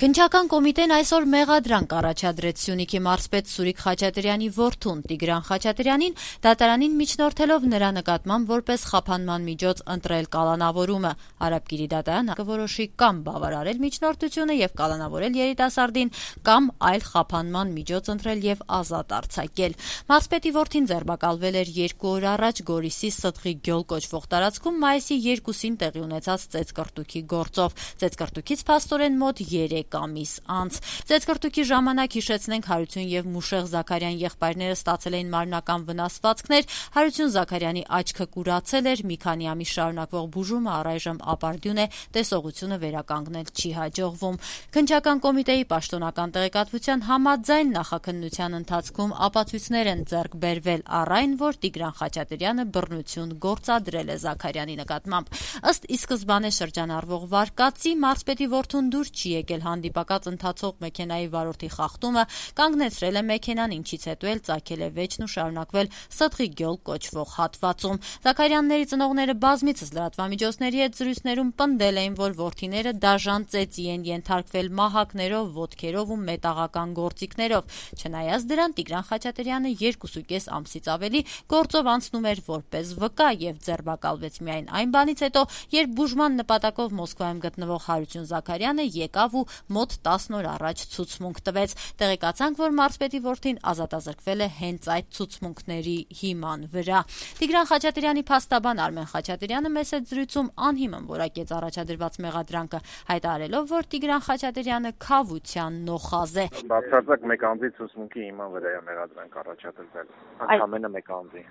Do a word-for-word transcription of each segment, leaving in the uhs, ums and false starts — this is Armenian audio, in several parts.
Քննչական կոմիտեն այսօր մեղադրանք առաջադրեց Սյունիքի մարզպետ Սուրիկ Խաչատրյանի որդուն Տիգրան Խաչատրյանին, դատարանին միջնորդելով նրա նկատմամբ որպես խափանման միջոց ընտրել կալանավորումը։ Արաբկիրի դատարանը կորոշի կամ բավարարել միջնորդությունը եւ կալանավորել երիտասարդին, կամ այլ խափանման միջոց ընտրել եւ ազատ արձակել։ Մարզպետի որդին ձերբակալվել էր երկու օր առաջ Գորիսի Ստղի գյուլ կոչվող տարածքում մայիսի երկուսին տեղի ունեցած ծեծկռտուքի գործով։ Ծեծկռտուքից փաստորեն մոտ երեք ամիս անց։ Ծեծկռտուքի ժամանակ հիշեցնենք Հարություն եւ Մուշեղ Զաքարյան եղբայրները ստացել էին մարմնական վնասվածքներ, Հարություն Զաքարյանի աչքը կուրացել էր, մի քանի ամիս շարունակվող բուժումը առայժմ ապարդյուն է, տեսողությունը վերականգնել չի հաջողվում։ Քննչական կոմիտեի պաշտոնական տեղեկատվության համաձայն նախաքննության ընթացքում ապացույցներ են ձեռք բերվել առ այն, որ Տիգրան Խաչատրյանը բռնություն գործադրել է Զաքարյանի նկատմամբ։ Ըստ ի սկզբանե շրջանառվող վարկածի, մարզպետի որդուն դուր չի եկել հանդիպակաց ընթացող մեքենայի վարորդի խախտումը, կանգնեցրել է մեքենան, ինչից հետո էլ ծագել է վեճն ու շարունակվել Ստղի գյուլ կոչվող հատվածում։ Զաքարյանների ծնողները բազմիցս լրատվամիջոցների հետ զրույցներում պնդել էին, որ որդիները դաժան ծեծի են ենթարկվել մահակներով, ոտքերով ու մետաղական գործիքներով։ Չնայած դրան, Տիգրան Խաչատրյանը երկուսուկես ամսից ավելի գործով անցնում էր որպես վկա եւ ձերբակալվեց միայն այն բանից հետո, երբ բուժման նպատակով Մոսկվայում գտնվող Հարություն Զաքարյանը եկավ ու մոտ տասն օր առաջ ցուցմունք տվեց։ Տեղեկացանք, որ մարզպետի որդին ազատազրկվել է հենց այդ ցուցմունքների հիման վրա։ Տիգրան Խաչատրյանի փաստաբան Արմեն Խաչատրյանը մեծ զրույցում անհիմն որակեց առաջադրված մեղադրանքը, հայտարարելով, որ Տիգրան Խաչատրյանը քավության նոխազ է։ Բացարձակ մեկ անձի ցուցմունքի հիման վրա է մեղադրանք առաջադրվել։ Ընդամենը մեկ անձի։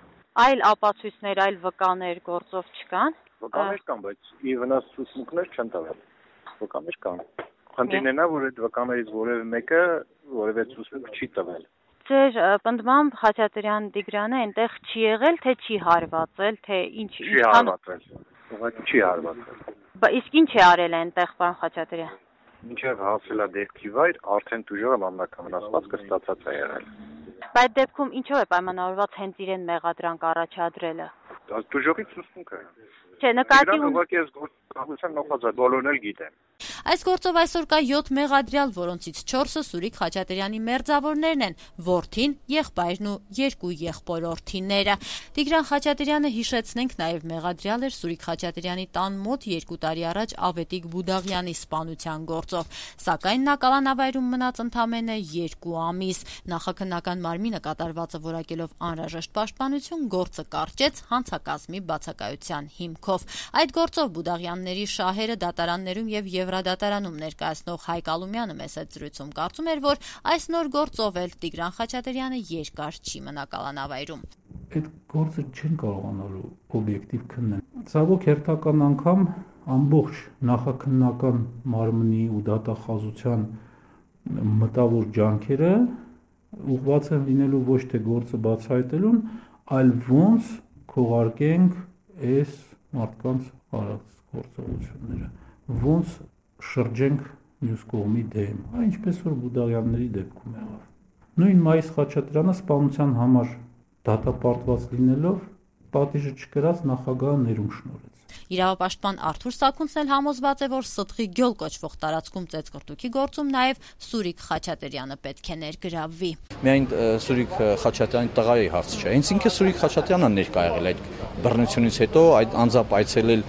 Այլ ապացույցներ, այլ վկաներ գործով չկան։ Վկաներ կան, բայց ի վնաս ցուցմունքներ չեն տվել։ Վկաներ կան։ Խնդիրն է նա, որ այդ վկաներից որևէ մեկը որևէ ցուցմունք չի տվել։ Ձեր պնդմամբ Խաչատրյան Տիգրանը այնտեղ չի եղել, թե չի հարվածել, թե ինչ չի հարվածել։ Ուղղակի չի հարվածել։ Բայց իսկ ինչ է արել այնտեղ, պարոն Խաչատրյան։ Մինչև հասել է դեպքի վայր, արդեն դժողը մամլական վնասվածքը ստացած է եղել։ Բայց դեպքում ինչով է պայմանավորված հենց իրեն մեղադրանք առաջադրելը։ Դժողի ցուցմունքը։ Չէ, նկատի ուղղակի այս գործողության նոխազ է, բոլորն էլ գիտեն։ Այս գործով այսօր կա յոթ մեղադրյալ, որոնցից չորսը Սուրիկ Խաչատրյանի մերձավորներն են, որդին, եղբայրն ու երկու եղբորորդիները։ Տիգրան Խաչատրյանը, հիշեցնենք, նաև մեղադրյալ էր Սուրիկ Խաչատրյանի տան մոտ երկու տարի առաջ Ավետիք Բուդաղյանի սպանության գործով, սակայն նա կալանավայրում մնաց ընդամենը երկու ամիս։ Նախաքննական մարմինը կատարվածը որակելով անհրաժեշտ պաշտպանություն գործը կարճեց հանցակազմի բացակայության հիմքով։ Այդ գործով Բուդաղյանների շահերը դատարաններում եւ Եվրադատարանում ներկայացնող Հայկ Ալումյանը մեծ զրույցում կարծում էր, որ այս նոր գործով էլ Տիգրան Խաչատրյանը երկար չի մնա կալանավայրում։ Այդ գործը չեն կարողանալու օբյեկտիվ քննել։ Ցավոք հերթական անգամ ամբողջ նախաքննական մարմնի ու դատախազության մտավոր ջանքերը ուղղված են լինելու ոչ թե գործը բացահայտելուն, այլ ոնց քողարկենք այս մարդկանց արած գործողությունները, ոնց շրջենք մյուս կողմի դեմ, այնպես որ Բուդաղյանների դեպքում եղավ։ Նույն Մայիս Խաչատրյանը սպանության համար դատապարտված լինելով պատիժը չկրած նախագահը ներում շնորհեց։ Իրավապաշտպան Արթուր Սաքունցն էլ համոզված է, որ Ստղի գյուլ կոչվող տարածքում ծեծկռտուքի գործում նաև Սուրիկ Խաչատրյանը պետք է ներգրավվի։ Միայն Սուրիկ Խաչատրյանի տղայի հարց չէ, հենց ինքը Սուրիկ Խաչատրյանը ներկա եղել այդ բռնությունից հետո, այդ անձամբ այցելել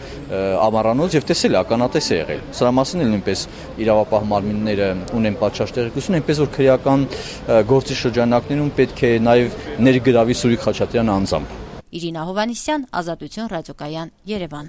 Ամառանոց եւ տեսել ականատես է եղել։ Սրա մասին էլ նույնպես իրավապահ մարմինները ունեն պատշաճ տեղեկություն, այնպես որ քրեական գործի շրջանակներում պետք է նաև ներգրավի Սուրիկ Խաչատրյանը անձամբ։ Իրինա Հովհաննիսյան, Ազատություն ռադիոկայան, Երևան։